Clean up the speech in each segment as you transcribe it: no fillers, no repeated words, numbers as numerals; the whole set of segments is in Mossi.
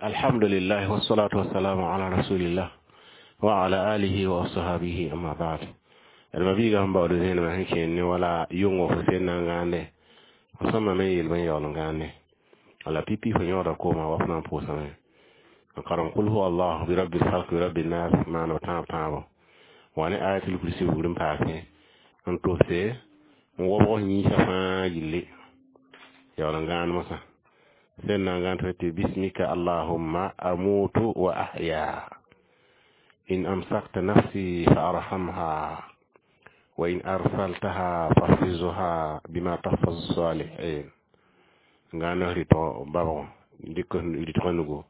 Alhamdulillah wassalatu wassalamu ala rasulillah wa ala alihi wa ashabihi, amma ba'd. D ma biiga sẽn baood zẽenema sẽn kẽer ne wala yʋngo fo sẽn na n gãande fo sõma me yel bẽn yaool n gãande wala pipi fo yõoda kooma wa fo na n pʋʋsame n karem kul huwa allah bi rabbil falq bi rabbin nas maan b tãab tãabo wa ne ayatul kursi bugr n paase n tobse n wobg yĩnsã fãa yille yaool n gãand mosã sẽn na n gãand tɩ bismika allahumma amutu wa ahya in amsakta nafsi fa arhamha wa in arsaltaha fahfizha bima tahfazu salihin n gãand rɩtg babg dɩk rɩtgã nugu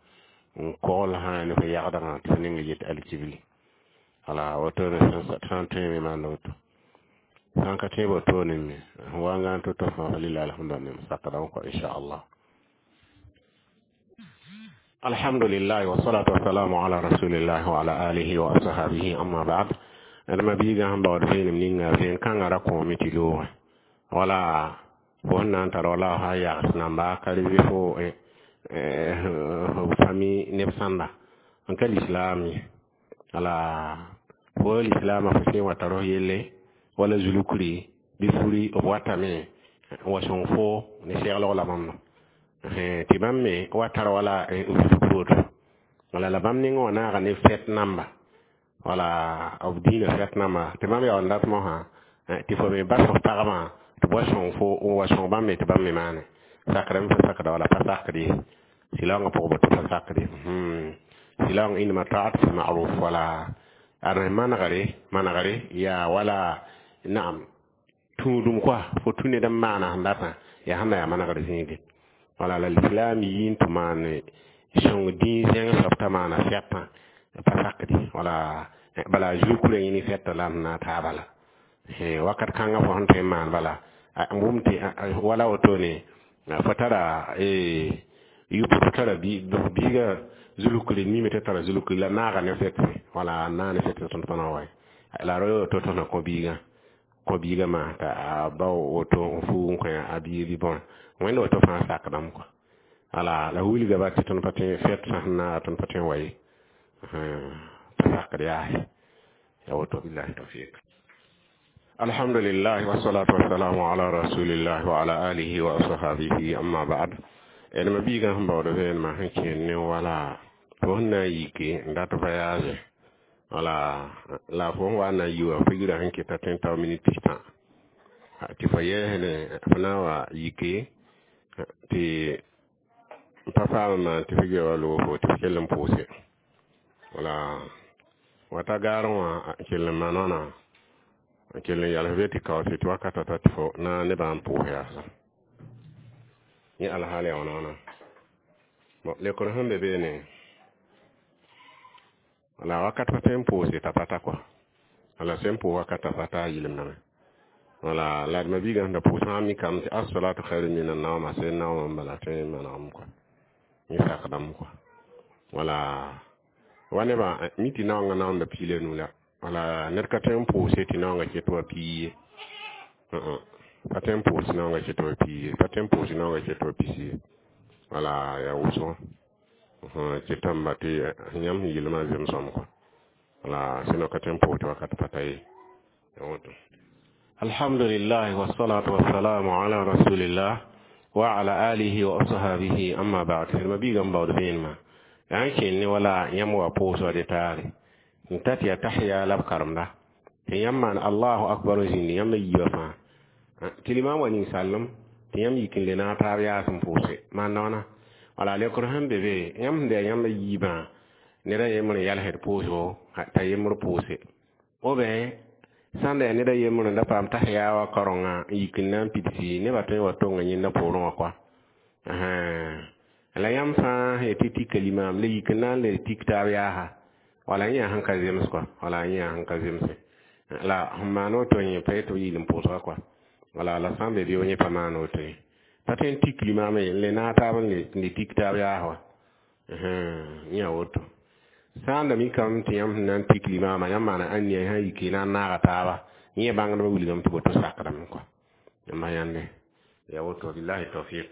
n kogl sã ne fo yagdgã tɩ fo ninga yet alkibli wala wotone sã n tõe me maand woto sã n ka tõe wotone me wa n gãand to-to fãa lillahi alhamdu nem sakdame kɔ inchallah. Alhamdulillah wassalatu wassalamu ala rasulillah wa ala alihi wa ashabihi, amma ba'd. D ma biigã sẽn baood vẽenem ninga vẽen kãngã ra kõome tɩ loogẽ wala fo sẽn na n tar wala fa yags namba ka reve fo fami neb sãnda n ka lislaam ye wala fo lislaamã fo sẽn wa tar f yelle wala zulukri bɩ furi b watame n wa sõng fo ne seglg la bãmb tɩ bãmb me wa tar wala zuluk woto wala la bãmb nengẽ wã naaga ne fɛt namba wala b dĩinã fɛt namba tɩ bãmb yaool n dat mosã tɩ fo me bas f pagmã tɩ b wa sõng fo n wa sõng bãmb me tɩ bãmb me maane sakdame pa sakda wala pa sakd ye sɩlaoongã pʋgẽ boto pa sakd ye sɩlaoong inma ta'at fi ma'ruf wala ad manegre manegre yaa wala naam tũudum koa fo tũ ned n maana sẽn datã yaa sẽn na yaa manegr zĩige wala la lislam yi n tɩ maan sõng dĩin zẽng soab t'a maana fɛtã pa sakde wala bala zulkurã yẽ ne fɛtã la n na taaba la wakat kãngã fo sẽn tõe n maan bala n wʋm tɩ wala wotone fo tara yʋp fo tara biiga zulukri mime tɩ tara zulukri la naaga ne fɛtse wala n naa ne fɛtse tõnd pa na wa la ra woto tõnd na kõ biigã kõ biigã maa t'a a bao woto n fuug n kõ a biig bɩ bõe wẽnd woto fãa sakdame kɔa wala la wilga ba tɩ tõnd pa tõe fɛt sã sẽn naaga tõnd pa tõe n wa ye pa sakd yaa ya woto billahi tawfiq. Alhamdulillah wassalatu wassalamu ala rasulillah wa ala alihi wa ashabihi, amma ba'd. D ma biigã sẽn baood vẽenemã sẽn kẽer ne wala fo sẽn na n yike n dat voyage wala la fo sẽn wa n na n yi wã fo yirã sẽn keta tõe n tao minit pistã tɩ fo yɛɛsne fo na n wa yike tɩ pa paam n maan tɩ fo gea wa loog fo tɩ fo kell n pʋʋse wala wata gaarẽ wã n kell n maan wãna n kell n yals be tɩ kaoose tɩ wakata ta tɩ fo na nebã n pʋʋs yaasa yẽ alhaal yaa wãna wãna bon lekr sẽn be beene wala wakat pa tõe n pʋʋse t'a pa ta kɔa wala sẽn pʋʋs wakat t'a pa ta a yɩlemdame wala la d ma biigã sẽn da pʋʋsã mikame tɩ assalatu khairu min annauma sẽn naooma n bala tõe n manegame kɔa yẽ sakdame kɔa wala wa nebã mi tɩ naongã naonda piig la nu la wala ned ka tõe n pʋʋse tɩ naongã ket wa piig ye pa tõe n pʋʋs naongã ket wa piig ye pa tõe n pʋʋs naongã ket wa pisi ye wala yaa wʋsgo tɩ tãmba tɩ yãmb sẽn yɩlmã zemsõm kɔa wala sẽn ka tõe n pʋʋs tɩ wakat pa ta ye ya woto. Alhamdulillah wassalatu wassalamu ala rasulillah wa ala alihi wa ashabihi, amma ba'd. Ma biigã n baood vẽenemã yaa n kẽer ne wala yãmb wa pʋʋs wa de taare n ta tɩ yaa tahya la b karemda tɩ yãmb maan allahu akbar n zĩndi yãmb yiibã fãa tɩ limam wa ninsaalem tɩ yãmb yik n le naag taab yaas n pʋʋse maanda wãna wala lekr sẽn be be yãmb sẽn da yãmb yiibã ned a yembr n yalsd pʋʋsgo t'a yembr pʋʋse ou bien sãn da yaa ned a yembr n da paam tahya wa kaorenga n yik n na n pidsi nebã tõe n wa tonga yẽnda poorẽ wã kɔa la yãmb fãa sẽn tɩ tika limaam la yik n na n le tik taab yaasa wala yẽ yaa sẽn ka zems kɔa wala yẽ yaa sẽn ka zemse la sẽn maan woto yẽ pa yetɩ b yɩl n pʋʋsga kɔa wala la sã n be bɩ yẽ pa maan woto ye pa tõe n tik limaamã ye n le naag taab n le tik taab yaas wa yẽ yaa woto sã n da mikame tɩ yãmb sẽn na n tik limaamã yãmb maana ãnniya sã n yike na n naaga taaba yẽ bãngdbã wilgame tɩ boto sakdame kɔa yãmba yãnde ya woto billahi tawfiq.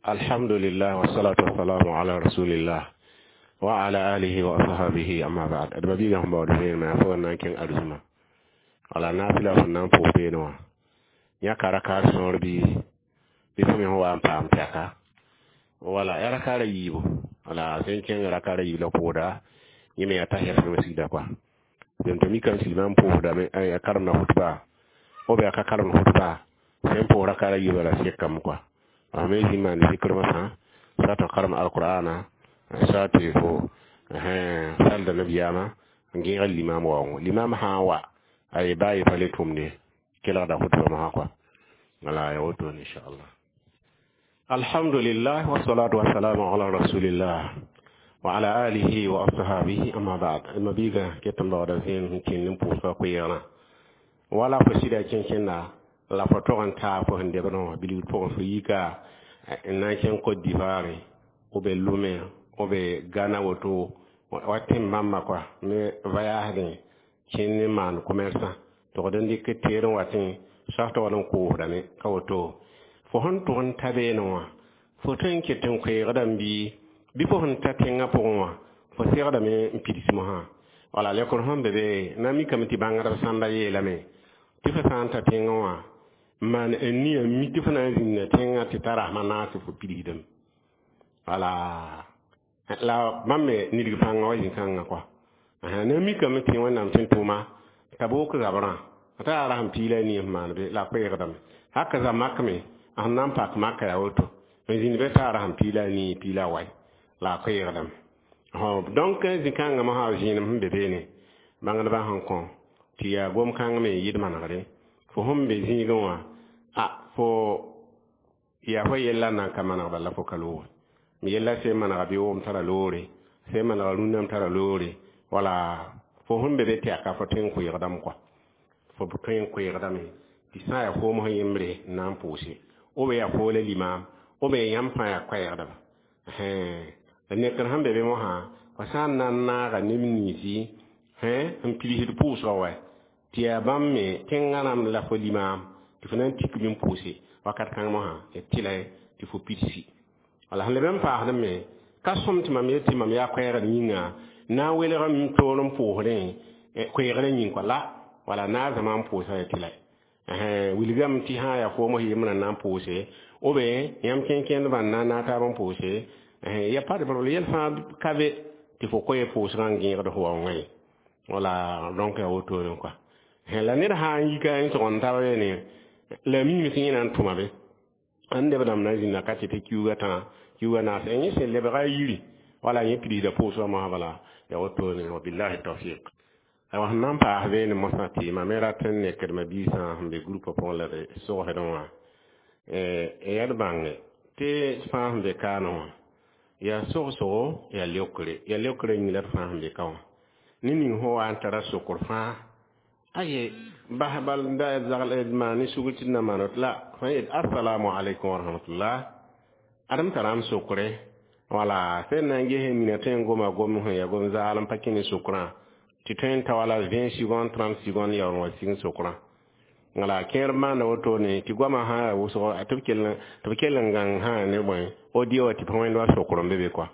Alhamdulillah, wassalatu wassalamu ala rasulillah wa ala alihi wa ashabihi, amma ba'd. Adma biga sẽn baood vẽenemã yaa fo na n kẽng arzũma wala naafɩla fõn na n pʋʋs beene wã yãka rakaar sõor bɩ fo me sẽn wa n paam tɛka wala yaa rakaara yiibu wala sẽn kẽng rakaara yiib la pʋʋda yẽ me yaa tahiyat masjida kɔa tɩ mikame tɩ limam pʋʋsdame a karemda khutba ou bien a ka karemd khutba sẽn pʋʋs rakaara yiibã la sekame kɔa a me zĩ maan zikr masã sa tɩ karem alqur'ana sa tɩ fo salda nabiyaamã n gẽeg limam waoongo limam sã n wa a ye baa ye pa le tʋmde kelgda khutba masã kɔa wala ya wotone inchallah. Alhamdulillah, wassalatu wassalamu ala rasulillah wa ala alihi wa ashabihi, amma ba'd. Ma biga ket n baooda zẽem sẽn kẽnd n pʋʋsga koeegrã wala fo sɩda kẽnkẽnda la fo tog n taa fo sẽn debdẽ wã bilgd pʋgẽ fo yika n na n kẽng Côte d'Ivoire ou bien Lomé ou bien Ghana woto wa tẽn bãmba kɔa me voyage kẽnd n maan commerçant togd n dɩk teer n watẽ sas togd n koosdame ka woto fo sẽn tʋg n ta beene wã fo tõe n ket n koeegdame bɩ fo sẽn ta tẽngã pʋgẽ wã fo segdame n pids mosã wala lekr sẽn be be na mikame tɩ bãngdb sãmba yeelame tɩ fo sã n ta tẽngã wã n maan n nia mi tɩ fo na n zĩnda tẽngã tɩ ta rasmã naas tɩ fo pidsdame wala la bãmb me nidg pãngã wa zĩ-kãngã kɔa na mikame tɩ Wẽnnaam sẽn tʋʋma t'a book zabrã t'a yaa rasem piig la a nii sẽn maan be la a koeegdame haka za makme a sẽn na n pak maka yaa woto n zĩnd be t'a rasem piig la a nii piig la a wai la a koeegdame donc zĩ-kãngã mosã zẽenem sẽn be beene bãngdbã sẽn kõ tɩ yaa gom-kãng me n yɩd manegre fo sẽn be zĩigẽ wã a fo yaa fo yella n na n ka maneg bala fo ka loog m yella sẽn manega bɩ wom tara loore sẽn manega rũnname tara loore wala fo sẽn be be tɛka fo tõe n koeegdame kɔa fo tõe n koeegdame tɩ sã n yaa foom sẽn yembre n na n pʋʋse ou bien yaa foo la limam ou bien yãmb fãa yaa koɛɛgdba la nekr sẽn be be mosã fo sã n na n naaga neb ninsi n pidsd pʋʋsgã wa tɩ yaa bãmb me tẽngã rãmb la fo limam tɩ fo na n tik bɩ n pʋʋse wakat kãng mosã d tɩla tɩ fo pidsi wala sẽn leb n paasd me ka sõm tɩ mam yet tɩ mam yaa koɛɛgd yĩnga na n welg m toor n pʋʋsdẽ koeegrã yĩng kɔa la wala na a zãma n pʋʋsa ya tɩla wilgame tɩ sã n yaa foom yembrã n na n pʋʋse ou bien yãmb kẽn-kẽndbã n na n naag taab n pʋʋse ya pa de problème yɛl fãa ka be tɩ fo koe pʋʋsgã n gẽegd fo waoongã ye wala donc yaa wotone kɔa la ned sã n yika n tʋg n tab ne la mime tɩ yẽ na n tʋma be ãn neb dãmb na n zĩnda ka tɩ tɩ kiuugã tã kiuugã naas yẽ sẽn lebga a yiri wala yẽ pidsda pʋʋsgã mosã bala ya wotone wabillahi tawfiq. Aywa sẽn na n paas beene mosã tɩ mam me rat n nekdma biisã sẽn be groupe pʋgẽ la d sogsdẽ wã yaa d bãnge tɩ fãa sẽn be kaanẽ wã yaa sogsgo yaa leokre yaa leokrã yĩng la d fãa sẽn be ka wã ne ning sẽn wa n tara sokr fãa aye bas bal da zagl maan ne sugr tɩ d na maan la fãa yet assalamu alaikum wa rahmatullah adem tara m sokre wala sẽn na n ges mina tõe n goma gom sẽn yaa gom zaal n pa kẽ ne sokrã tɩ tõe n ta wala 20 seconde 30 seconde yaool n wa sig sokrã wala kẽer maanda wotone tɩ goamã sã yaa wʋsgo tɩ b kell n gãng sã ne bõe audio wã tɩ pa wẽnd wa sokr n be be kɔa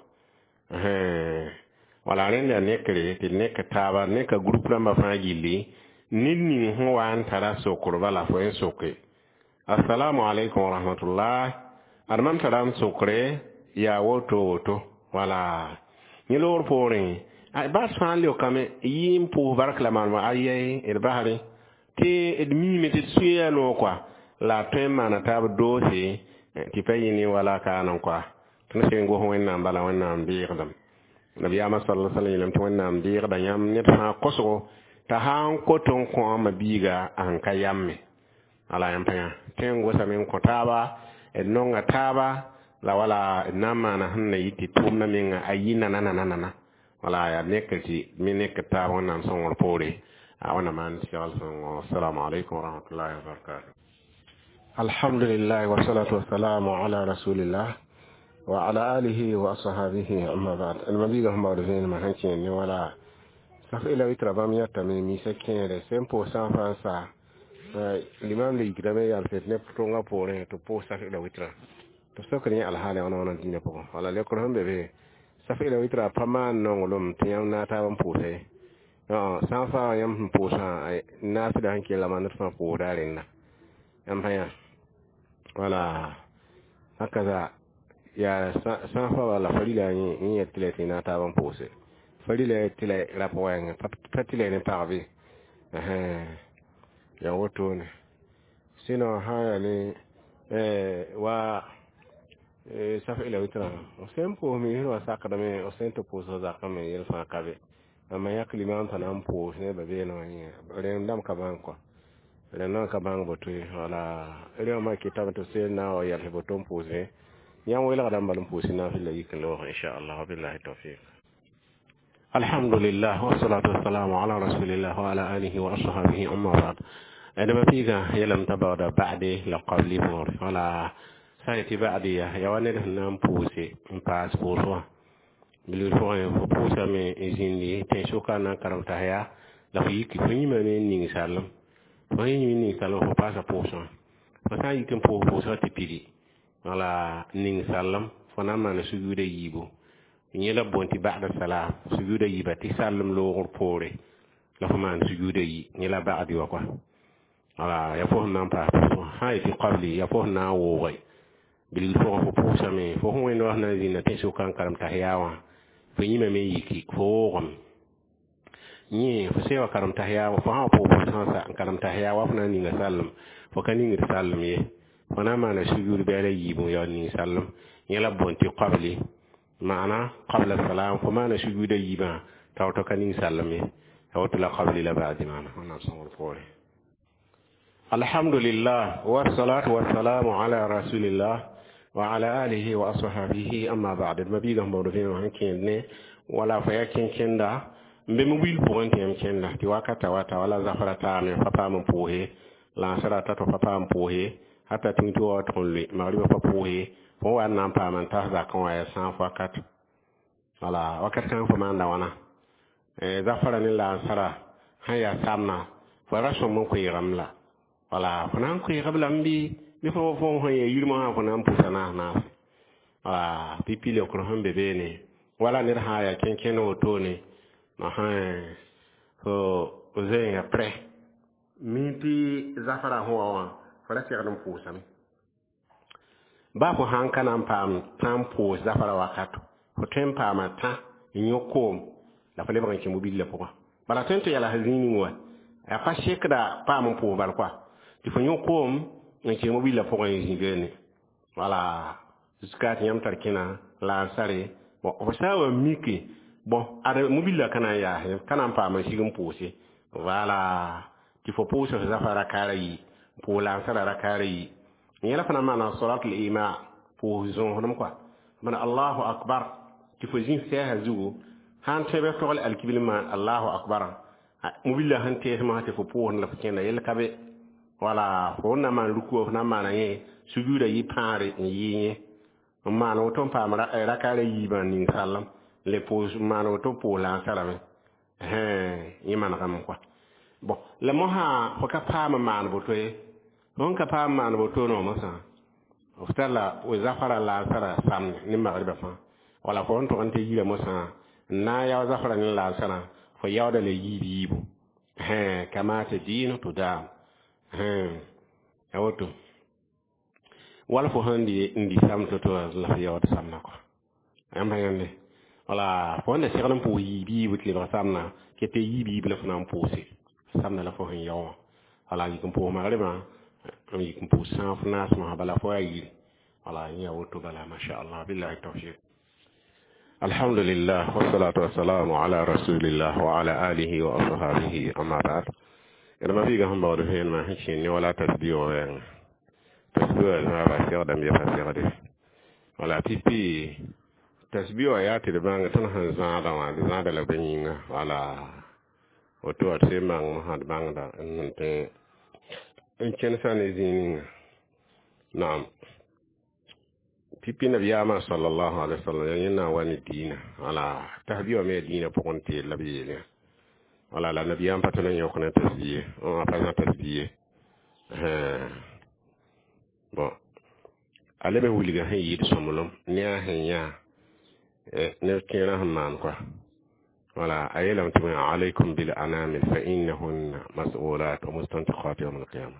wala rẽnd yaa nekre tɩ d nek taaba neka groupe rãmbã fãa gilli ned ning sẽn wa n tara sokr bala fo n soke assalamu alaikum wa rahmatullah ad mam tara m sokre yaa woto woto wala yẽ loor poorẽ bas fãa leokame yɩ n pʋʋs bark la maanema ayɛi d basre tɩ d miime tɩ d suya noog kɔa la a tõe n maana taab doose tɩ pa yɩ ne wala kaan n kɔa tõnd sẽn gos Wẽnnaam bala Wẽnnaam beegdame nabiyaamã sala sallam yeelame tɩ Wẽnnaam beegda yãmb ned fãa kosgo t'a sã n kot n kõ a biiga a sẽn ka yame ala yãmb pa yã tõe n gosame n kõ taaba d nonga taaba la wala d na n maana sẽn na yɩ tɩ tʋʋmdã menga a yɩ nana nana nana wala yaa nekr tɩ me nekr taab Wẽnnaam sõngr poore a wẽnnaam maan segl sõngo. Assalamu alaikum warahmatullahi wabarakatuh. Alhamdulillah, wassalatu wassalamu ala rasulillah wa ala alihi wa ashabihi, amma ba'd. Almabiga sẽn baood vẽenemã sẽn kẽer ne wala saf ila witra bãmb yãtame misa kẽere sẽn pʋʋs sã n fãa n sa limam le yikdame yalsd ne tʋngã poorẽ tɩ pʋʋs saf ila witra. Tɩ b sokd yẽ alhaal wãna wãna dĩinã pʋgẽ. Wala leokr sẽn be be saf ila witra pa maan nonglem tɩ yãmb na taab n pʋʋsa ye. Sã n faa yãmb sẽn pʋʋsã naafɩla sẽn kell maand fãa pʋʋsda a rẽnda. Yãmb pa yã wala hakaza yaa sã n fa wala farila yẽ yet tɩ la tɩ na taab n pʋʋse. Farila tɩ la rap wɛɛngẽ pa tɩ la ne pag bɩ yaa wotone. Sinon sã n yaa ne wa saf ila witra f sẽn pʋʋs miisd wã sakdame f sẽn tɩ pʋʋs zakã me yel fãa ka be. Mam yãk limam t'a na n pʋʋs ne ba beene wã yẽ rẽnd dãmb ka bãng kɔ rẽnd dãmb ka bãng boto ye. Wala rẽ wã maa kɩtame tɩ b seen na n wa yɛls boto n pʋʋsẽ yãmb welgdã n bal n pʋʋs naafɩl la yik n loog inchallah. Wabillahi tawfiq. Alhamdulillah wassalatu wassalamu ala rasulillah wa ala alihi wa ashabihi, amma ba'd. Adama piiga yeelame t'a baooda ba'de la qabli võore. Wala sã n yetɩ ba'de yaa wa ned sẽn na n pʋʋse n paas pʋʋs wã bilgr pʋgẽ fo pʋʋsame n zĩndi tẽn-sʋka n na n karem tahiya la fo yiki fo yĩmame n ning sallem fo sẽn yĩm n ning sallem fo paasa pʋʋsẽ wã fo sã n yik n pʋʋs pʋʋsgã tɩ pidi wala ning sallem fo na n maana sujuuda yiibu yẽ la b boond tɩ ba'da salam sujuuda yiiba tɩ sallem loogr poore la fo maan sujuuda yi yẽ la ba'di wã kɔa. Wala yaa fo sẽn na n paas pʋʋsẽ wã sã n yetɩ qabli yaa fo sẽn na n wooge bilgr pʋgẽ fo pʋʋsame fo sẽn wẽnd wã sẽn na n zĩnda tẽn-sʋka n karem tahiya wã fo yĩmame n yiki fo woogame yẽ fo sẽn wa karem tahiya fo sã wa pʋʋs pʋʋsã n karem tahiya wa fo na n ninga sallem fo ka ningd sallem ye fo na n maana sujuud bɛɛla yiibu n yaool ning sallem yẽ la b boond tɩ qabli maana qabla salam fo maana sujuuda yiibã t'a woto ka ning sallem ye a woto la qabli la ba'di maana wẽnnaam sõngr poore. Alhamdulillah wassalatu wassalamu ala rasulillah wa ala alihi wa ashabihi, amma ba'd. Ma biiga sẽn baood vẽeneg sẽn kẽed ne wala fo yaa kẽn-kẽnda n be wil pʋgẽ tɩ yãmb kẽnda tɩ wakata wata wala zafra taame fa paam n pʋʋse lãasra ta tɩ fa paam pʋʋse hata tĩng tɩ wa tʋg n loe magriba pa pʋʋse fo wa n na n paam n tas zakẽ wã yaa sãaf wakat wala wakat kãng fo maanda wãna zafra ne lansara sẽn yaa samna fo ra sõm n koeegame la wala fo na n koeegb lame bɩ bɩ fo fo sẽn yaa yirmã wã fo na n pʋsa naas naase wala pipi leokr sẽn be beene wala ned sã n yaa kẽn-kẽnd wotone fo zoeengã prɛ mi tɩ zafra sẽn wa wã fo ra segd n pʋʋsame baa fo sãn ka na n paam tã n pʋʋs zafra wakato fo tõe n paama tã n yõ koom la fo lebg n kẽ mobilã pʋgã bala tõe n tɩ yɛls zĩig ning wa yaa pa sekda paam n pʋʋs bal koa tɩ fo yõ koom n kẽ mobilã pʋgẽ n zĩ beene wala jusqu'à tɩ yãmb tar kẽna laansare bon fo sã n wa mike bon ad mobilã ka na n yaas ka na n paam n sig n pʋʋse wala tɩ fo pʋʋs f zafa rakaara yi pʋʋs laansara rakaara yi yẽla fo na n maana salatul ima pʋʋs zõosdem koa mana allahu akbar tɩ fo zĩ sɛɛsã zugu sãn tõe bɩ f togl alkibil maan allahu akbar mobilã sẽn tees mosã tɩ fo pʋʋsd la fo kẽnda yel ka be wala fo na maan ruku fo na n maana yẽ sujuuda yɩ pãagre n yɩ yẽ n maan woto n paam rakaara yiibã ning sallem le pʋʋs n maan woto pʋʋs laansarame yẽ manegame koa bon la mosã fo ka paam n maan boto ye fo sẽn ka paam n maan boto no mosã f tar la zafara laansara samne ne magriba fãa wala fo sẽn tʋg n tɩ yira mosã n na n yao zafra ne laansarã fo yaooda la yiib yiibu kama tadinu tudam a woto wala fo sẽn n di sam to-to la fo yaood samna kɔa yãmb pa yãnde wala fo sẽn da segd n pʋʋs yiib yiibu tɩ lebg samna ket yiib yiib la fo na n pʋʋse samna la fo sẽn yao wã wala yik n pʋʋs magribã n yik n pʋʋs sãaf naas mosã bala fo yaa yiri wala yẽ yaa woto bala masha allah billahi tawfiq. Alhamdulillah wassalatu wassalamu ala rasulillah wa ala alihi wa ashabihi, amma ba'd. Ma biiga sẽn baood vẽenemã sẽn kẽnd ne wala tasbiog wɛɛngã tasbiog zãaba segdame pa segde wala pipi tasbiog yaa tɩ d bãng tõnd sẽn zãada wã d zãada la bõe yĩnga wala woto wa d sẽn bãng mosã d bãngda n tõe n kẽnsa ne zĩig ninga naam pipi nabiyaamã sallallahu alaihi wasallam yaa yẽnd na n wa ne diinã wala tasbiog me yaa diinã pʋgẽ teel la b yeel yã wala la nabiyaam pa tõe n yõk ne tasbiye pa zã tasbiye bon. A leb n wilga sẽn yɩɩd sõmblem ne a sẽn yã neb kẽerã sẽn maan kɔa. Wala a yeelame tɩ alaykum bil anamil fa innahunna mas'ulat wa mustantiqat yawm alqiyama.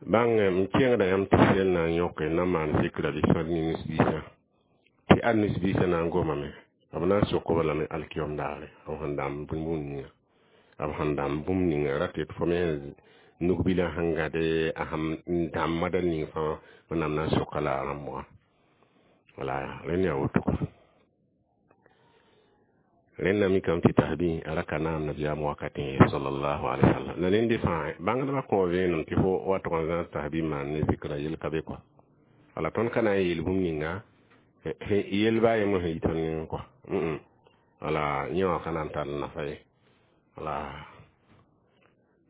Bãng m kẽngda yãmb tɩ sel na n yõke n na maan zikra bɩ sõd ne nisbiisã, tɩ ad nisbiisã na n gomame, b na n sok-b lame alkiyom daare, b sẽn dãmb bũmb ninga, b sẽn dãmb bũmb ninga ra tɩ fo me nugbilã sẽn gãde a sẽn dãmbda ning fãa, Wẽnnaam na n soka la a rãmb wã. Wala rẽnd yaa woto kɔa. Rẽnda mikame tɩ tasbih a ra ka naam nabiyaam wakatẽ ye sallallahu alaihi wasallam. La nende fãa bãngdbã kõ vẽenem tɩ fo wa tʋg n zãs tasbih maan ne zikra, yel ka be kɔa. Wala tõnd ka na n yeel bũmb ninga yel baa yembr sẽn yi tõnd nengẽ kɔa. Wala yẽ wã ka na n tar nafa ye. Wala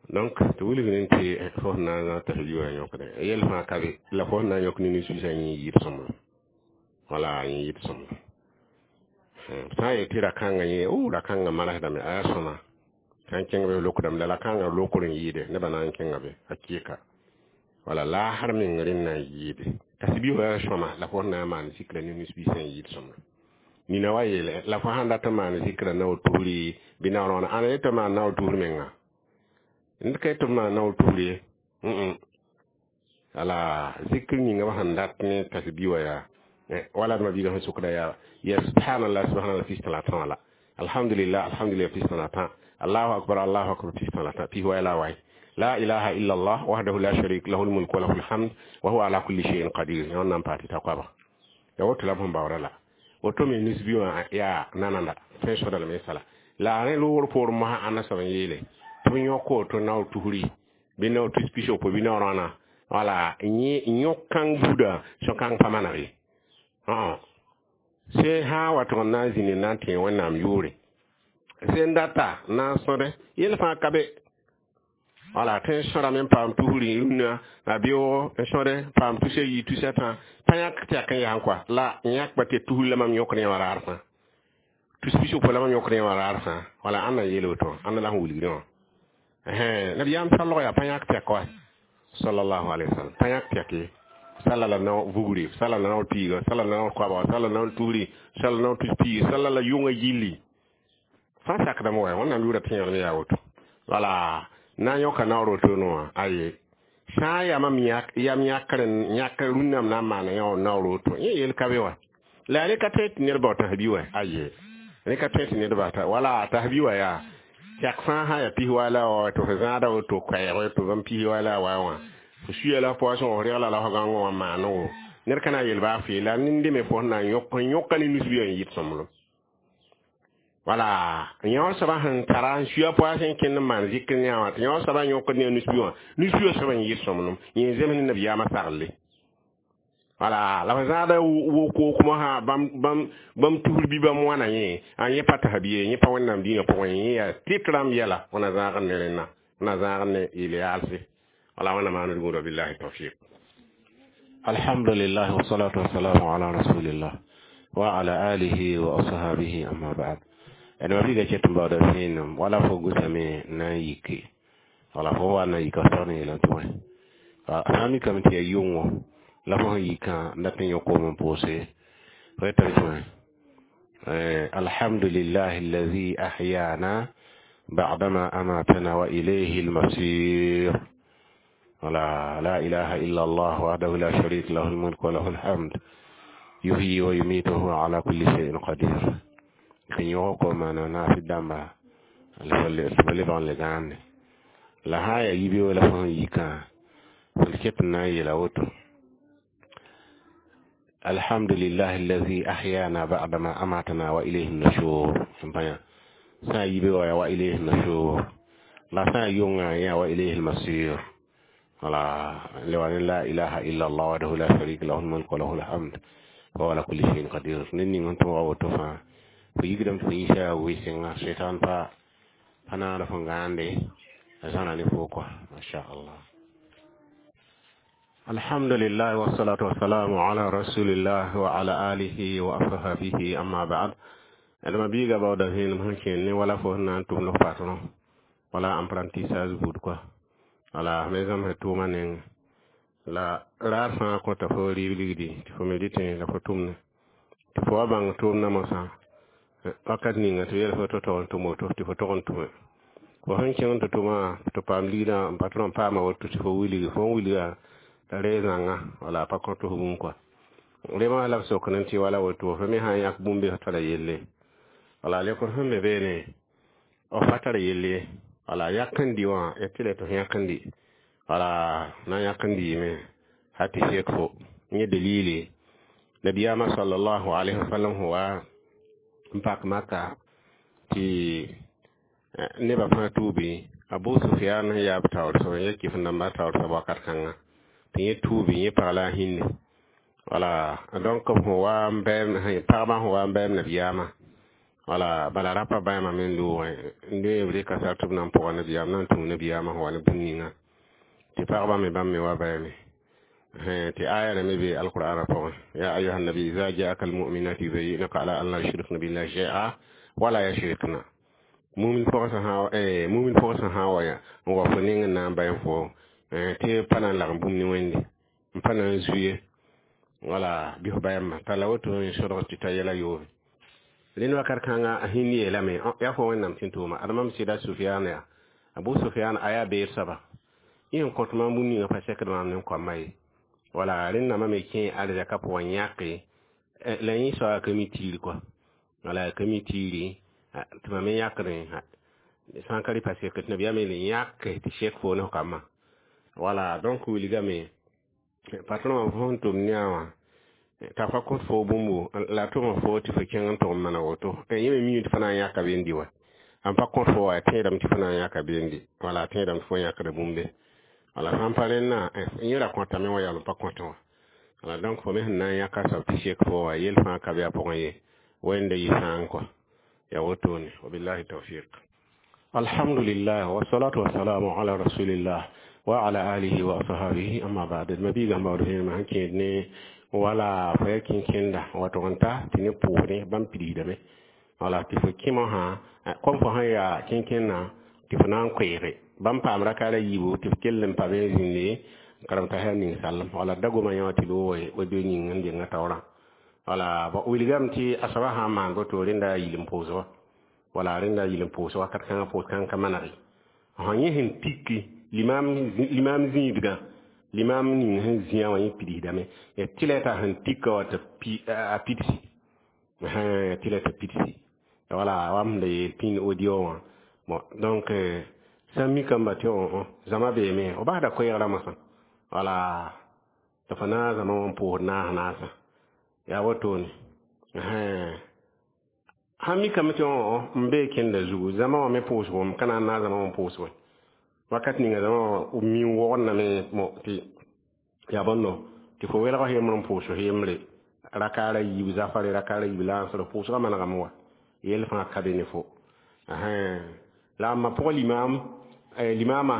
donc tɩ wilg rẽnd tɩ fo sẽn na n zãs tasbih wã yõkdẽ yel fãa ka be, la fo sẽn na n yõk ne nisbiisã yẽ yɩɩd sõmblem. Wala yẽ yɩɩd sõmblem. Sã n yet tɩ ra-kãngã yẽ o ra-kãngã marsdame, a yaa sõma sã n kẽng be lokdame, la ra-kãngã lokr n yɩɩde, nebã na n kẽnga be hakɩɩka. Wala laasr meng rẽnd na n yɩɩde tasbi wã yaa sõma, la fo sẽn na n maan zikra ne nisbiisã n yɩɩd sõmblem. Nina wa yeele la fo sãn dat n maan zikra naoor tusri bɩ naoor wãna, ãna yetɩ maan naoor tusr menga, ned ka yetɩ b maan naoor tusr ye. Wala zikr ninga b sẽn dat ne tasbi wã yaa wala d ma-biigã sẽn sokda yaa ya subhanallah subhanallah pis tã la tã, wala alhamdulillah alhamdulillah pis tã la tã, allahu akbar allahu akbar pis tã la tã, pis wai la wai, la ilaha illa allah wahdahu la sharik lahu lmulk wa lahu lhamd wa huwa ala kulli shay'in qadir. Yãnd na n paa tɩ ta koabga ya woto la b sẽn baoora la woto me nisbi wã yaa nananda tõe sõda lame sala la rẽ loogr poor mosã ãnna soab n yeele tɩ b yõk woto naoor tusri bɩ naoor tus pis wopo bɩ naoor wãna. Wala yõk kãng buudã sõ-kãng pa maneg ye. Sẽn sã n wa tʋg n na n zĩnd n na n tẽeg Wẽnnaam yʋʋre sẽn data n na n sõde yel fãa ka be. Wala tõe n sõdame n paam tusri rũnnã la beoogo n sõde paam tusa yi tusa tã pa yãk tɩ yak n yaa kɔa la yãkba tɩ tusr la mam yõkd yẽ wã raar fãa, tus pis wopo la mam yõkd yẽ wã raar fãa. Wala ãnda n yeel woto, ãnda la sẽn wilgdẽ wã. Nabiyaam salg yaa pa yãk tɛk wa sallallahu alaihi wasallam, pa yãk tɛk ye. Sala la nao vugri, sala la nao piiga, sala la nao koaba, sala la nao tusri, sala la nao tus piig, sala la yʋngã gilli fãa sakdame wa. Wẽnnaam yʋʋra tẽegdme yaa woto. Wala na n yõka naoor woto wã aye sã n yaa mam yam yãkr n yãk rũnname na n maana yã naoor woto yẽ yel ka be wa. La rẽ ka tõe tɩ ned bao tasbi wa, aye rẽ ka tõe tɩ ned bata. Wala tasbi wa yaa tɛk fãa sã yaa pis wa la wa tɩ f zãada woto koɛɛg tɩ bãmb pis wa la wa wã fo suya la poasẽ f regla la fo gãngã wã maanego ned ka na n yel baa fee la nende me fo sẽn na n yõk n yõka ne nisbi n yɩɩd sõmblem. Wala yõ soaba sẽn tara n suya poasẽ n kẽnd n maan zikr ne wã tɩ yõ soaba n yõkd ne nisbi wã, nisbi wã soaba n yɩɩd sõmblem yẽ zems ne nabiyaamã saglle. Wala la f zãada wok-wok mosã bãmb tusr bɩ bãmb wãna yẽ a yẽ pa tasbi ye, yẽ pa Wẽnnaam dĩinã pʋgẽ, yẽ yaa tɩt rãmb yɛla wẽna zãagd ne rẽnna, wẽna zãagd ne yel-yaalse. Wala wẽnna maand gũuda billahi tawfiq. Alhamdulillah wassalatu wassalamu ala rasulillah wa ala alihi wa ashabihi, amma ba'd. D ma-biiga ket n baooda vẽenem wala fo gʋsame na n yike, wala fo wa na yika sag ne yeelame tɩ wẽ sã n mikame tɩ yaa yʋngo la fo sẽn yikã n dat n yõk n pʋʋse fo yetame tɩ wẽ alhamdulillah alladhi ahyana ba'dama amatana wa ilayhi almasir, wala la ilaha illa allah wahdahu la sharika lahu almulk wa lahu alhamd yuhyi wa yumitu wa huwa ala kulli shay'in qadir. Tɩ yõg ko maana naasɩ dãmba la f lebg n le gãande la sã n yaa yibeoog la fo sẽn yikã fo ket n na n yeela woto alhamdulillah alladhi ahyana ba'dama amatana wa ilayhi nushur n pa yã sã n yibeoog yaa wa ilayhi nushur la sã n yʋngã yã wa ilayhi almasir. Wala le wa ne la ilaha illa allah wahdahu la sharika lahu almulk wa lahu alhamd wa huwa ala kulli shay'in qadir. Ned ning sẽn tõoga woto fãa fo yigdame tɩ fo yĩsa wɩsenga sʋɩtãn pa pa naana fo gãande a zãna ne fo kɔa masha allah. Alhamdulillah wassalatu wassalamu ala rasulillah wa ala alihi wa ashabihi, amma ba'd. D ma-biiga baooda vẽenem sẽn kẽen ne wala fo sẽn na n tʋm f patron wala apprentissage buud kɔa. Wala me zãmsd tʋʋmã neng La raar fãa kõta fo rɩɩb ligdi tɩ fo me dɩtẽ la fo tʋmne tɩ fo wa bãng tʋʋmdã mosã wakat ninga tɩ b yeel fo tɩ tog n tʋm woto tɩ fo tog n tʋme. Fo sẽn kẽng tɩ tʋmã tɩ paam ligdã n patron paama woto tɩ fo wilgi fo n wilga t'a reeg zãnga wala a pa kõt fo bũmb kɔa. Rẽmã la b sokd n tɩ wala woto fo me sã n yãk bũmb be fo tara yelle. Wala lekr sẽn be beene f pa tar yelle ye. Wala yak n dɩ wã ya tɩ la tɩ f yãk n dɩ wala na yãk n dɩɩme hal tɩ sek fo yẽ dalili nabiyaamã sallallahu alaihi wasallam sẽn wa n pak Maka tɩ nebã fãa tuubi Abu Sufyan sẽn yaa b taoor soab n ya kɩf n dãmbã taoor soab wakat kãnga tɩ yẽ tuubi yẽ pag la a hinde. Wala donc sẽn wa n bɛɛm pagbã sẽn wa n bɛɛm nabiyaamã wala bala rapa bãmba me n loogẽ n loe b rɩka sar tɩ b na n pʋga nabiyaam na n tũu nabiyaamã sẽn wa ne bũmb ninga tɩ pagbã me bãmb me wa bɛɛme tɩ aya rã me be alqur'ana pʋgẽ ya ayuha nabi iza jaaka almuminat yubayyinaka ala an la yushrikna billahi shay'a wala yashrikna mumin pʋgã sẽn sã wa n wa fo ning n na n bãe fo tɩ pa na n lagem bũmb ne Wẽnde n pa na n zuye wala bɩ f bãmba t'a la woto n sõdg tɩ ta yɛla yoobe rẽnd wakat kãnga a hĩnd yeelame yaa fo Wẽnnaam tɩ n tʋʋma ad mam sɩda Sufyan yaa Abu Sufyan a yaa beer soaba yẽ n kõt mam bũmb ninga pa sekd maam ne n koamã ye. Wala rẽnnamã me kẽ arzɛka pʋgẽ yãke la yẽ soa ka mi tiiri kɔa wala ka mi tiiri tɩ mam me yãkdẽ sã n ka rɩ pa sek tɩ nabiyaam yeele yãke tɩ sek fo ne f kambã. Wala donc wilgame patron wã fo sẽn tʋm ne a wã t'a pa kõt fo bũmbu la tʋm fo tɩ fo kẽng n tʋg n mana woto yẽ me miime tɩ fo na n yãka be n dɩ wa n pa kõt fo wa tẽedame tɩ fo na n yãka be n dɩ wala tẽedame tɩ fo yãkda bũmbe wala sã n pa rẽnnã yẽ ra kõtame wã yaool n pa kõtẽ wã. Wala donc fo me sẽn na n yãka soab tɩ sek fo wa yel fãa ka be a pʋgẽ ye Wẽnda yɩ sãang kɔa ya wotone wabillahi tawfiq. Alhamdulillah wassalatu wassalamu ala rasulillah wa ala alihi wa ashabihi amma ba'd. Mabiga mawdo hẽema sẽn kẽed ne wala fo ya kẽn-kẽnda wato n ta tɩ ne pʋʋsdẽ bãmb pidigdame wala tɩ fo kẽmã sã kom fo sẽn yaa kẽn-kẽndã tɩ fo na n koeege bãmb paam rakaara yiibu tɩ f kell n pa be n zĩnde n karem t'a yaa ninsalem wala da goma yã wã tɩ loog wa-beo yĩng n denga taoorã wala wilgame tɩ a soabã sã n maan boto rẽnda yil n pʋʋs wa wala rẽnda yil n pʋʋs wakat kãngã pʋʋs kãng ka maneg sã yẽ sẽn tiki limam zĩidgã limam ning sẽn zĩa wã yẽ pidsdame ya tɩ la t'a sẽn tika wa tɩ a pidsi tɩ la t'a pidsi wala wam la yeel pĩnd audio wã. Bon donc sã n mikame tɩ zãma beeme f basda koɛɛgrã mosã wala tɩ fo na zãma wã n pʋʋsd naas naasã yaa wotone sãn mikame tɩ n bee kẽnda zugu zãma wã me pʋʋsgo m ka na n naag zãma wã n pʋʋs wɛ wakat ninga zãma wã mi n wogdname tɩ yaa bõndo tɩ fo welg yembre n pʋʋs yembre rakaara yiib zafare rakaara yiib lansr pʋʋsgã manegame wa yel fãa ka be ne fo la ãmba pʋgã limam limamã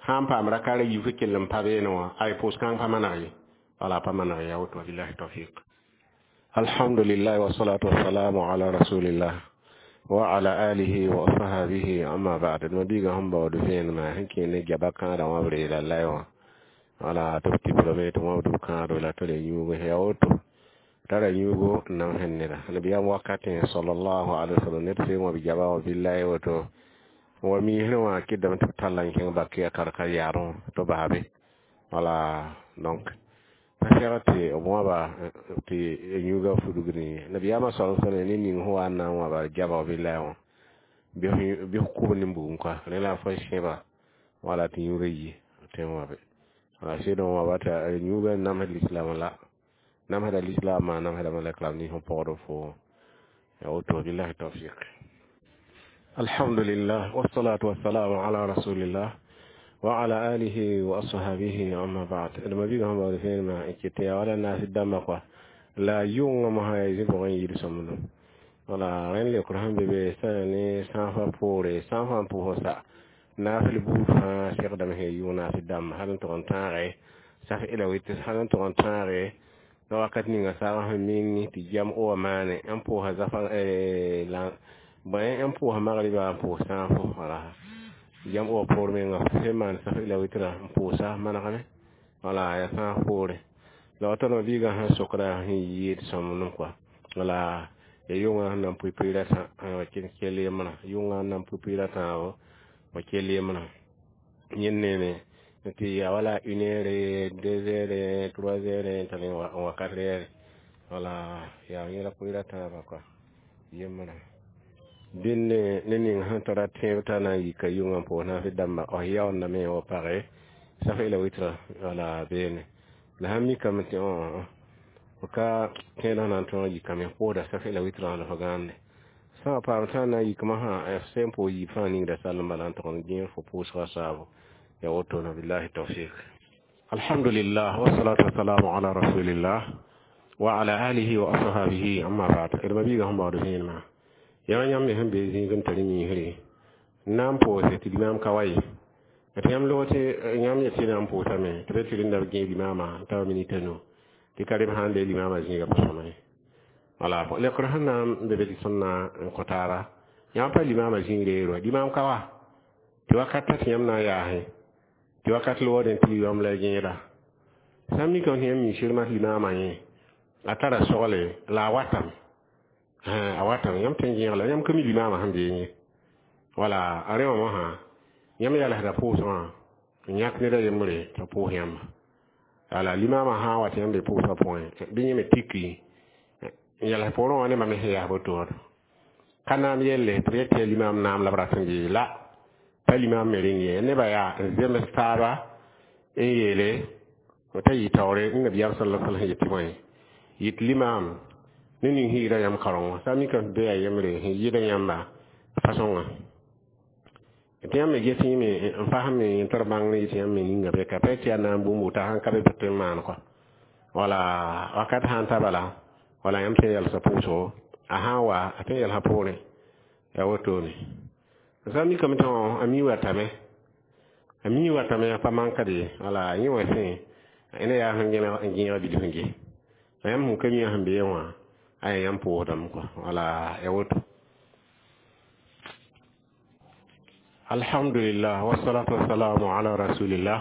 sã n paam rakaara yiib fo kell n pa beene wã ay pʋʋs kãng pa maneg ye wala pa maneg ya woto wabillahi tawfiq. Alhamdulillah wassalatu wassalamu ala rasulillah wa ala alihi wa ashabihi amma ba'd. Mabiga sẽn baood vẽenemã sẽn kẽ ne gaba kãadã wã b reela lay wã wala tɩ b tɩblame tɩ wãbd b kãado la tɩ re yũug ya woto tara yũugo n namsẽ neda nabiyaam wakatẽ sallallahu alaihi wasallam ned sẽn wã b gaba wã billahi woto wa miisrẽ wã kɩdame tɩ b talla n kẽng bak ya karka yaadẽ tɩ basabe wala donc pa sɛg tɩ b wãba tɩ yũuga fudgd nabiyaamã sal sallam ne ning sẽn wa n na n wãba gaba billahi wã bɩ f kʋb ne bugum kɔa rẽ la fo sẽba wala tɩ yũuga yi tɩ n wãbe wala sɩd n wãba tɩ yũuga namsd lislaam la namsda lislaamã namsda malɛk la b nins n pɔgd fo ya woto billahi tawfiq. Alhamdulillah wassalatu wassalamu ala rasulillah wa ala alihi wa ashabihi amma ba'd. D mabiigã sẽn baood vẽenemã n ket tɩ yaa wala naas dãmbã kɔa la yʋngã mosã yaa zĩ pʋgẽ n yid sõmblem wala rẽnd leokr sẽn be be sã ne sãafã poore sãafã n pʋʋs sa naasl buud fãa segdame sẽn yʋng naas dãmba hal n tʋg n tãage saf ila wɩt hal n tʋg n tãage la wakat ninga saagã sẽn ming tɩ jam o wa maane n pʋʋsa zafa la bõe n pʋʋsa magriba n pʋʋs sãafo wala jam o wa poor menga sẽn maan saf ila wɩtra n pʋʋsa manegame Wala yaa fãag poorẽ la wa tõd biigã sẽn sokda sẽn yɩɩd sõmblem kɔa wala ya yʋngã sẽn na n pʋɩ pʋɩɩr a tã wa kell yembrã yʋngã sẽn na n pʋɩ pʋɩɩr a tãabo wa kell yembrã yẽ neeme tɩ ya wala une heure, deux heures, trois heures t'a n wa quatre heures wala yaa yẽ la pʋɩɩr a tãabã kɔa yembrã dẽnd ne ning sẽn tara tẽeb t'a na n yika yʋngã n pʋʋs naafɩ dãmba f yaoondame wa page saf la witra wala beene la sãn mikame tɩ f ka tẽedã na n tõog yikame pʋʋsda saf la witrã la f gãande sã n paam tã n na n yik mosã f sẽn pʋʋs yiib fãa ningda sall n bala n tʋg n gẽeg fo pʋʋsgã saabo ya woto na billahi tawfiq. Alhamdulillah, wassalatu wassalamu ala rasulillah wa ala alihi wa ashabihi, amma ba'd. D ma-biigã sẽn baood vẽenemã yã yãmb me sẽn be zĩig n tar miisre n na n pʋʋse tɩ limaam ka wa ye tɩ yãmb log tɩ yãmb yet tɩ na n pʋʋsame tɩ b tɩ rẽnda b gẽeg limaamã n ta minit a nu tɩ ka rem sãn le limaamã zĩiga pa sõma ye wala lekr sẽn na n be be tɩ tõnd na n kõ taaba yãmb pa limaamã zĩig reero limaam ka wa tɩ wakat t'a tɩ yãmb na n yaasẽ tɩ wakat loodẽ tɩ yam la gẽeda sã n mikame tɩ yãmb mi sɩrmã tɩ limaamã yẽ a tara sogle la a watame a watame yãmb tõe n gẽeg la yãmb ka mi limaamã sẽn beẽ ye wala a rẽ wã mosã yãmb yalsda pʋʋsgã n yãk ned a yembre t'a pʋʋs yãmba wala limaamã sã n wa tɩ yãmb be pʋʋsgã pʋgẽ bɩ yẽ me tiki n yals poorẽ wã ne mam sẽn yaas boto ka naam yelle tɩ b yet tɩ yaa limaam naam la b rat n gee la pa limaam me rẽnd ye nebã yaa n zems taaba n yeele t'a yɩ taoore n nabiyaam sala sallam sẽn yet tɩ bõe yit limaam ne ning sẽn yɩɩda yãmb kareng wã sã n mikame tɩ be yaa yembre sẽn yɩɩda yãmba fasõngã tɩ yãmb me ges yẽme n fasem n tar bãng ne yɩ tɩ yãmb me ninga be ka pa tɩ yaa naam bũmb t'a sãn ka be bɩ tõe n maan kɔa wala wakat sãn ta bala wala yãmb tõe n yalsa pʋʋsgo a sã n wa a tõe n yalsa poorẽ yaa wotone sã n mikame tɩ a mi watame a mi watame a pa mankd ye wala yẽ wã sẽ ne yaa sẽn n gẽega bilf n ges la yãmb sẽn ka mi sẽn beẽ wã a yaa yãmb pʋʋsdame kɔa wala ya woto. Alhamdulillah, wassalatu wassalamu ala rasulillah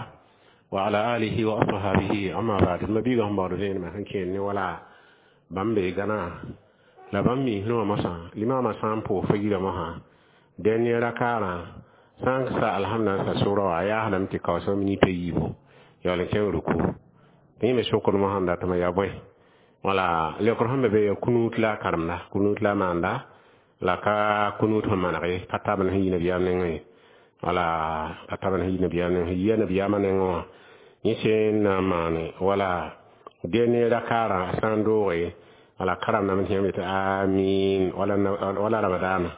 wa ala alihi wa ashabihi, amma ba'd. Ma biiga sẽn baood vẽenemã sẽn kẽer ne wala bãmb bee gãnã la bãmb miisrẽ wã mosã limaamã sã n pʋʋs fa yirã mosã dernier rakaarã sã n sa alhamda n sa sʋra wã a yaasdame tɩ kaoosg minit a yiibu yaool n kẽng ruku tɩ yẽ me sokd mosã n datame yaa bõe wala leokr sẽn be be yaa kunut la a karemda kunut la a maanda la ka kunut sẽn maneg ye ka tabend sẽn yi nabiyaam nengẽ wala ka tabend sẽn yi nabiyaam nengẽ sẽn yia nabiyaamã nengẽ wã yẽ sẽn na n maane wala dernier rakaarã a sã n dooge wala karemdame tɩ yãmb yetɩ amin wala ramadaana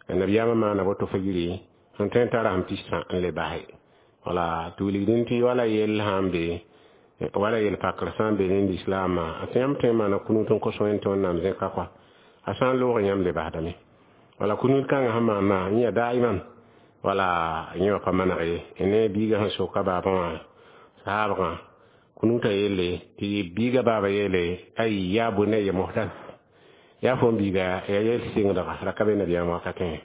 nabiyaamã maana woto fa yiri sẽn tõe n tara sẽn pistã n le base wala tɩ wilgdẽ tɩ wala yell sã n be wala yel pakr sã n be ne lislaamã a tɩ yãmb tõe n maana kunut n kos wẽnd tɩ wẽnnaam zẽka kɔa a sã n loog yãmb le basdame wala kunut kãngã sẽn maana yẽ yaa daiman wala yẽ wã pa maneg ye ne biigã sẽn soka baabã wã saabgã kunuta yelle tɩ biigã baaba yeele ay yaa bunayya muhdath yaa fo n biiga ya yel sɩngdga ra ka be nabiyaam wakatẽ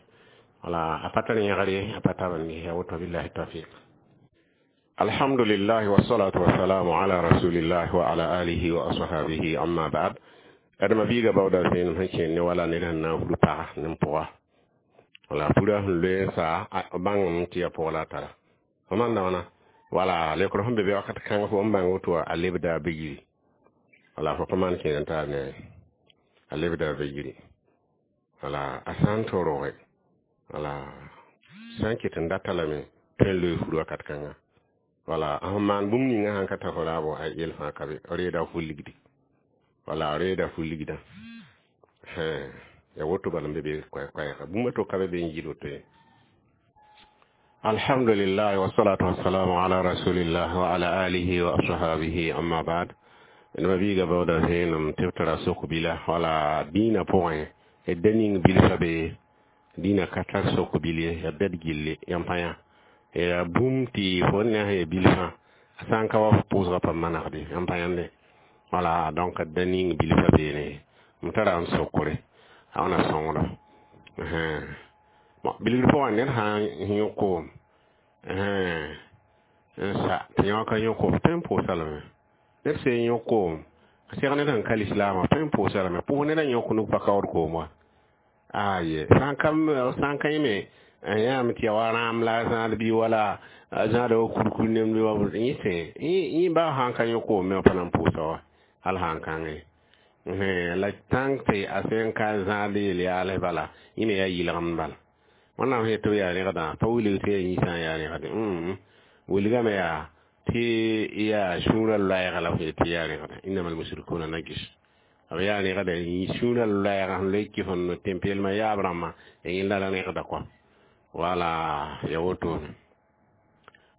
wala a pa tar yẽgr ye a pa tabend ye ya woto billahi tawfiq. Alhamdulillah, wassalatu wassalamu ala rasulillah wa ala alihi wa ashabihi, amma ba'd. Adama biiga baooda vẽenem sẽn kẽer ne wala ned sẽn na n fud pag ne pʋga wala fura sẽn loe n sa bãngame tɩ yaa pʋg la a tara fo manda wãna wala leokr sẽn be be wakat kãng fo n bãng woto a lebda be yiri wala fo pa maan kẽer n taar ne a lebda be yiri wala a sã n to roge wala sã n ket n data lame tõe n loe fur wakat kãnga wala a sẽn maan bũmb ninga sãn ka tar fo raabo a yel fãa ka be reeda fu ligdi wala reeda fu ligdã ya woto bala n be be koɛɛga bũmb to ka be be n yɩl woto ye. Alhamdulillah, wassalatu wassalamu ala rasulillah wa ala alihi wa ashabihi, amma ba'd. Ma biiga baooda vẽenem tɩ b tara sok bila wala dĩinã pʋgẽ d da ning bilfã be dĩinã ka tar sok bil ye ya bɛd gilli yãmb pa yã ya bũmb tɩ fo ne sẽn ya bilfã a sã n ka wa fo pʋʋsgã pa manegde yãmb pa yãnde wala donc da ning bilfã beene m tara n sokre a wãna sõngdo bon bilgr pʋgã ned sã n yõk koom N sa tɩ yõ ka yõ koom, tõe n pʋʋsa lame. Ned sẽn yõ koom, seg ned sẽn ka lislaamã, tõe n pʋʋsa lame. Pʋʋs ned n yõk nug pa kaood koom wa. Aye, sã n ka sã n ka yẽ me n yãame tɩ ya wa rãam la a zãad bɩ wala a zãada wa kurkur nemd wa, yẽ sẽ yẽ ba sã n ka yõ koom me, pa na n pʋʋsa wa hal sã n kãngẽ. La tãng tɩ a sẽn ka zãad yel yaalẽ bala, yẽ me yaa yɩlgemd bala. Wẽnnaam sẽn yet tɩ b yaa rẽgdã, pa wilg tɩ yaa yĩnsã n yaa rẽgde. Wilgame yaa tɩ yaa sũurã loɛɛga la b sẽn yet tɩ yaa rẽgda. Innama almusrikuna najis. B yaa rẽgda sũurã loɛɛga sẽn loe kɩf n tẽn-peelmã yaab rãmbã, yẽnda la rẽgda kɔa. Wala, ya wotone.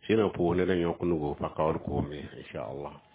Sẽn pʋʋs ned n yõk nugu pa kaood koom ye, inchallah.